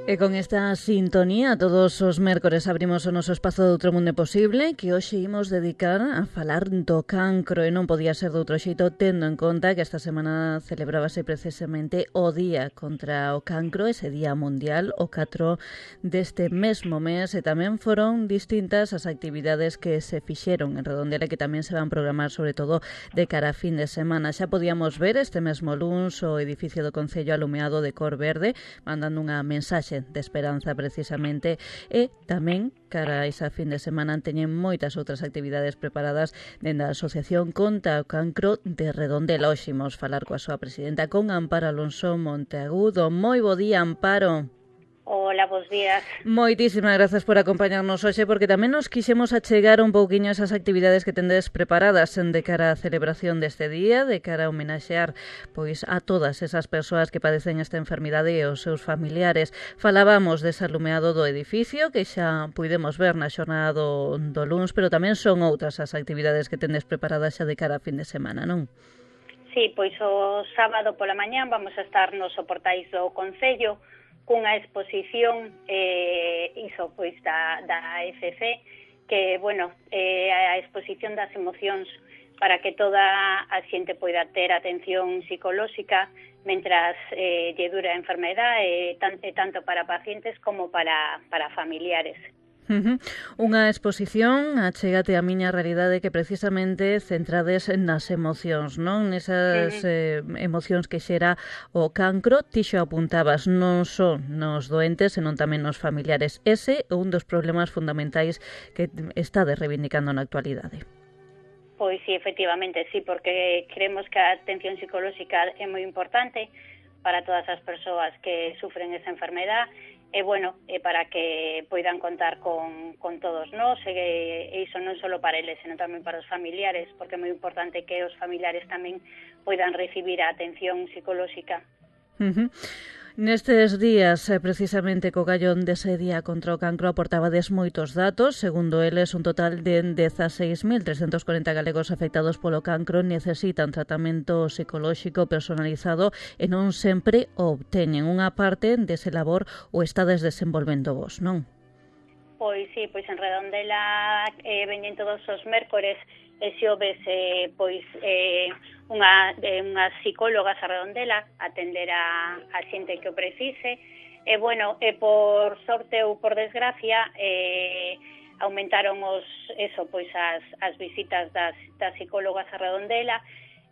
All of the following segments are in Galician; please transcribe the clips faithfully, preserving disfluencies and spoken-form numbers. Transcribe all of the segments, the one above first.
E con esta sintonía, todos os mércores abrimos o noso espazo de Outro Mundo Posible, que hoxe imos dedicar a falar do cancro, e non podía ser de outro xeito, tendo en conta que esta semana celebrábase precisamente o Día contra o Cancro, ese Día Mundial, o catro deste mesmo mes, e tamén foron distintas as actividades que se fixeron en Redondela, que tamén se van programar, sobre todo, de cara a fin de semana. Xa podíamos ver este mesmo luns o edificio do Concello alumeado de cor verde, mandando unha mensaxe de esperanza precisamente, e tamén cara a esa fin de semana teñen moitas outras actividades preparadas dende a Asociación contra o Cancro de Redondela. Hoxe imos falar coa súa presidenta, con Amparo Alonso Monteagudo. Moi bo día, Amparo. Hola, bons días. Moitísimas grazas por acompañarnos hoxe, porque tamén nos quixemos achegar un pouquiño esas actividades que tendes preparadas de cara á celebración deste día, de cara a homenaxear pois a todas esas persoas que padecen esta enfermidade e os seus familiares. Falábamos dese alumeado do edificio, que xa puidemos ver na xornada do, do luns, pero tamén son outras as actividades que tendes preparadas xa de cara a fin de semana, non? Sí, pois o sábado pola mañán vamos a estar nos soportais do Concello cunha exposición eh, iso pois da, da F C, que, bueno, eh, a exposición das emocións para que toda a xente poida ter atención psicolóxica mentras eh, lle dura a enfermedade, eh, tanto, tanto para pacientes como para, para familiares. Uh-huh. Unha exposición, achégate a miña realidade, que precisamente centrades nas emocións, non? Nesas uh-huh. eh, emocións que xera o cancro. Ti xo apuntabas, non só nos doentes, senón tamén nos familiares. Ese é un dos problemas fundamentais que estades reivindicando na actualidade. Pois sí, efectivamente, sí, porque creemos que a atención psicolóxica é moi importante para todas as persoas que sufren esa enfermedade, e, bueno, e para que poidan contar con, con todos nós, e, e iso non só para eles, senón tamén para os familiares, porque é moi importante que os familiares tamén poidan recibir a atención psicolóxica. Uh-huh. Nestes días, precisamente co gallón dese día contra o cancro, aportabades moitos datos. Segundo eles, un total de dezaseis mil trescentos corenta galegos afectados polo cancro necesitan tratamento psicolóxico personalizado e non sempre o obteñen. Unha parte dese labor o estades desenvolvendo vos, non? Pois sí, pois en Redondela eh, veñen todos os mércores e xoves eh, pois eh, unha, eh, unha psicóloga a Redondela atender a, a xente que o precise, e bueno, e por sorte ou por desgracia eh, aumentaron os eso, pois as, as visitas das, das psicólogas a Redondela.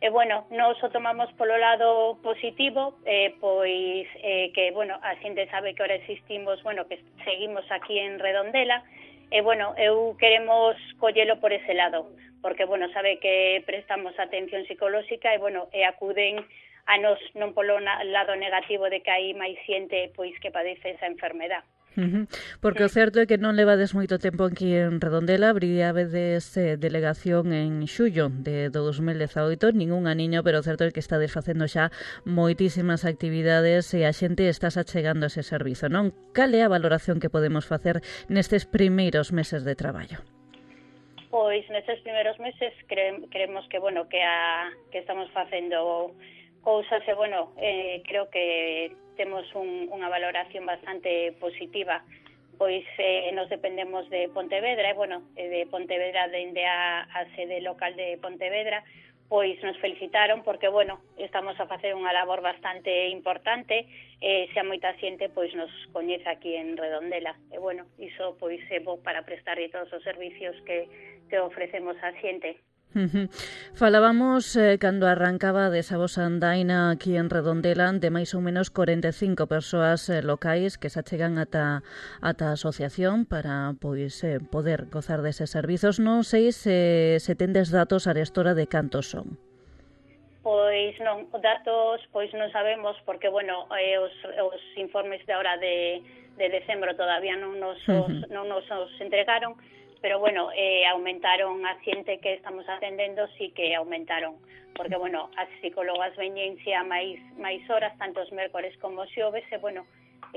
E, bueno, nós o tomamos polo lado positivo, eh, pois eh, que, bueno, a xente sabe que ahora existimos, bueno, que seguimos aquí en Redondela, e, bueno, eu queremos collelo por ese lado, porque, bueno, sabe que prestamos atención psicolóxica e, bueno, e acuden a nos non polo na, lado negativo de que hai máis xente, pois, que padece esa enfermedade. Uh-huh. Porque o certo é que non levades moito tempo aquí en Redondela. Abriabedes eh, delegación en xullo de dous mil dezaoito, ningún aniño, pero o certo é que estades facendo xa moitísimas actividades e a xente estás achegando ese servizo, non? Cal é a valoración que podemos facer nestes primeiros meses de traballo? Pois nestes primeiros meses cre creemos que, bueno, que, a, que estamos facendo cousas e, bueno, eh, creo que temos un, unha valoración bastante positiva, pois eh, nos dependemos de Pontevedra, e, bueno, de Pontevedra dende a, a sede local de Pontevedra, pois nos felicitaron porque, bueno, estamos a facer unha labor bastante importante, e xa moita xente pois nos coñece aquí en Redondela, e, bueno, iso pois é bo para prestar todos os servicios que, que ofrecemos á xente. Uh-huh. Falábamos eh, cando arrancaba desa vosa andaina aquí en Redondela de máis ou menos corenta e cinco persoas eh, locais que se achegan ata, ata a asociación para pois eh, poder gozar deses servizos. Non sei se, se tendes datos arestora de cantos son. Pois non, os datos pois non sabemos porque, bueno, eh, os, os informes de ahora de, de decembro todavía non nos os, uh-huh. non nos os entregaron, pero, bueno, eh, aumentaron a xente que estamos atendendo, sí que aumentaron, porque, bueno, as psicólogas veñen xa máis, máis horas, tanto os mércores como os xoves, e, bueno,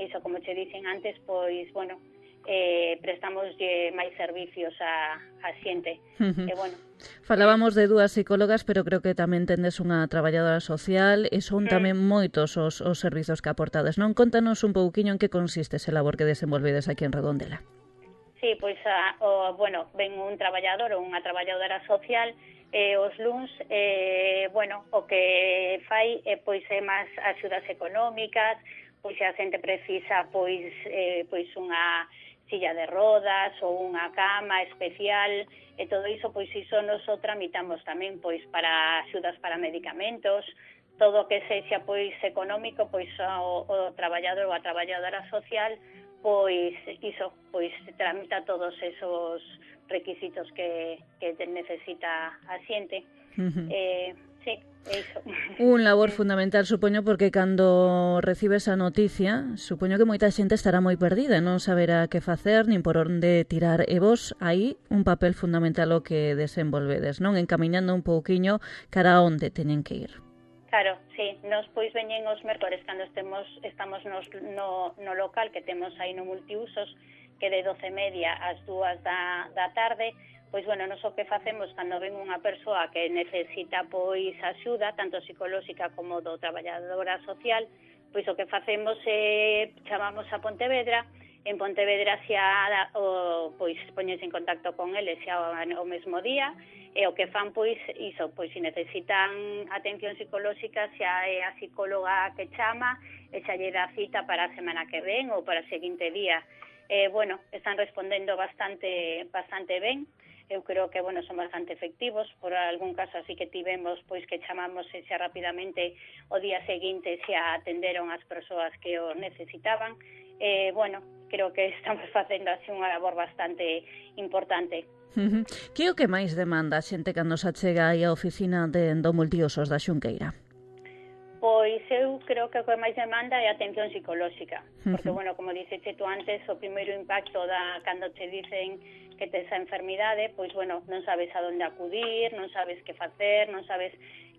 iso, como che dicen antes, pois, bueno, eh, prestamos máis servicios a, a xente. Uh-huh. E, bueno, falábamos de dúas psicólogas, pero creo que tamén tendes unha traballadora social e son mm. tamén moitos os, os servizos que aportades, non? Contanos un pouquiño en que consiste ese labor que desenvolvedes aquí en Redondela. Sí, pois, a, o, bueno, ven un traballador ou unha traballadora social e os luns, eh, bueno, o que fai é, pois, é máis axudas económicas, pois se a xente precisa, pois, eh, pois unha silla de rodas ou unha cama especial e todo iso, pois iso nos o tramitamos tamén, pois, para axudas para medicamentos, todo o que sexa, pois, económico, pois, o, o traballador ou a traballadora social, pois iso, pois tramita todos esos requisitos que, que necesita a xente. Uh-huh. Eh, sí, é iso. Un labor fundamental, supoño, porque cando recibes a noticia, supoño que moita xente estará moi perdida, non saberá que facer, nin por onde tirar, e vos aí un papel fundamental o que desenvolvedes, non? Encamiñando un pouquiño cara a onde teñen que ir. Claro, sí, nos pois veñen os mércores cando estemos estamos nos, no, no local que temos aí no multiusos, que de doce e media ás dúas da, da tarde, pois, bueno, nos o que facemos cando ven unha persoa que necesita, pois, axuda, tanto psicolóxica como do traballadora social, pois o que facemos é, chamamos a Pontevedra, en Pontevedra xa, o, pois, poñes en contacto con eles xa o, o mesmo día, e o que fan, pois, iso, pois, se necesitan atención psicolóxica, xa é a psicóloga que chama, e xa lle dá cita para a semana que ven ou para o seguinte día. Eh, bueno, están respondendo bastante bastante ben, eu creo que, bueno, son bastante efectivos, por algún caso así que tivemos, pois, que chamamos e xa rapidamente o día seguinte xa atenderon as persoas que o necesitaban. Eh, bueno, creo que estamos facendo así unha labor bastante importante. Uh-huh. Que é o que máis demanda a xente cando se achega aí á oficina de do multiusos da Xunqueira? Pois eu creo que o que máis demanda é a atención psicolóxica, porque, uh-huh. bueno, como dixeche tú antes, o primeiro impacto da cando te dicen que tes a enfermidade, pois, bueno, non sabes a onde acudir, non sabes que facer, non sabes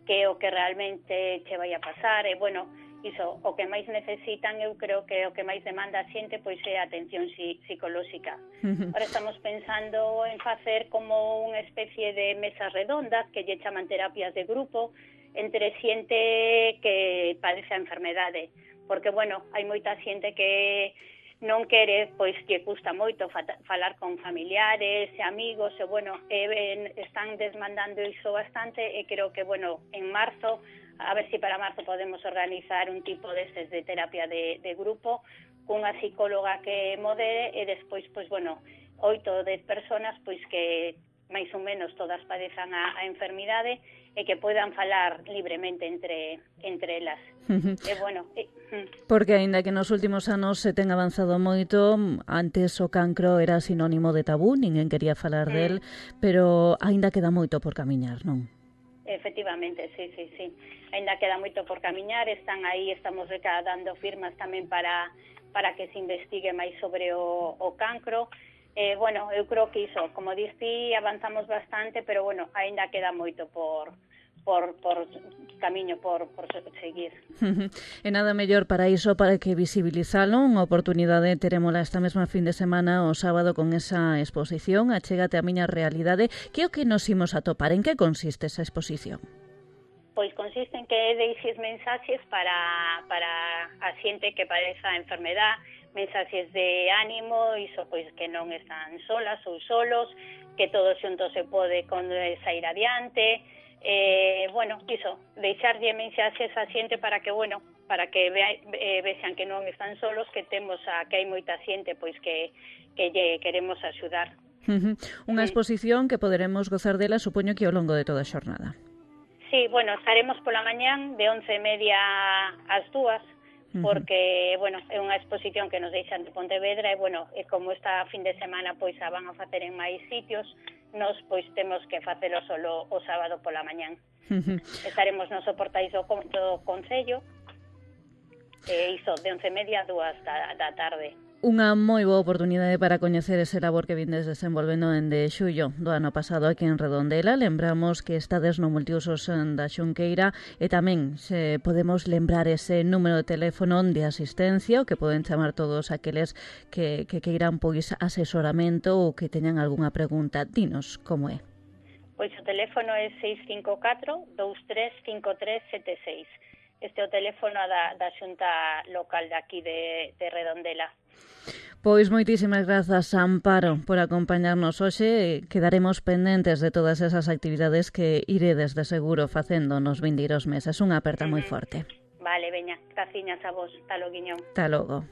que é o que realmente che vai a pasar, e, bueno, iso, o que máis necesitan, eu creo que o que máis demanda a xente, pois é a atención psicolóxica. Uh-huh. Ahora estamos pensando en facer como unha especie de mesas redondas, que lle chaman terapias de grupo, entre xente que padece a enfermedade, porque, bueno, hai moita xente que non quere, pois que custa moito falar con familiares e amigos, e, bueno, e, están desmandando iso bastante, e creo que, bueno, en marzo, a ver se si para marzo podemos organizar un tipo destes de terapia de, de grupo, cunha psicóloga que modere, e despois, pois, bueno, oito ou dez personas, pois, que máis ou menos todas padezan a, a enfermidade, e que poidan falar libremente entre entre elas. Uh-huh. E, bueno, e, uh. Porque, aínda que nos últimos anos se ten avanzado moito, antes o cancro era sinónimo de tabú, ninguén quería falar uh. del, pero aínda queda moito por camiñar, non? Efectivamente, sí, sí, sí. Aínda queda moito por camiñar, están aí, estamos recadando firmas tamén para para que se investigue máis sobre o, o cancro. Eh, bueno, eu creo que iso, como diste, avanzamos bastante, pero, bueno, aínda queda moito por por, por camiño, por, por seguir. E nada mellor para iso, para que visibilizalo, unha oportunidade terémola esta mesma fin de semana, o sábado, con esa exposición, Achégate a miña realidade. Que é o que nos imos a topar? En que consiste esa exposición? Pois consiste en que deixes mensaxes para, para a xente que padece a enfermedade, mensaxes de ánimo, iso, pois, que non están solas ou solos, que todos xuntos se pode sair adiante, eh, bueno, iso, deixarlle mensaxes a xente para que, bueno, para que vea, eh, vexan que non están solos, que temos a, que hai moita xente, pois, que, que lle queremos axudar. Uh-huh. Unha exposición que poderemos gozar dela, supoño que ao longo de toda a xornada. Sí, bueno, estaremos pola mañán de once e media ás dúas, porque, bueno, é unha exposición que nos deixan de Pontevedra, e, bueno, e como esta fin de semana, pois, a van a facer en máis sitios, nos, pois, temos que facelo solo o sábado pola mañán. Uh-huh. Estaremos nos soportais do, do Concello, e iso, de once e media a dúas da, da tarde. Unha moi boa oportunidade para coñecer ese labor que vindes desenvolvendo dende xullo do ano pasado aquí en Redondela. Lembramos que estades no multiusos da Xunqueira e tamén se podemos lembrar ese número de teléfono de asistencia o que poden chamar todos aqueles que, que queiran pois asesoramento ou que teñan algunha pregunta. Dinos como é. Pois o teléfono é seis cinco catro, dous tres cinco tres sete seis. Este é o teléfono da, da xunta local de aquí de, de Redondela. Pois moitísimas grazas, Amparo, por acompañarnos hoxe. Quedaremos pendentes de todas esas actividades que iredes de seguro facendo nos vindeiros meses. Unha aperta moi forte. Vale, veña, graciñas a vos. Hasta logo, Guiñón. Hasta logo.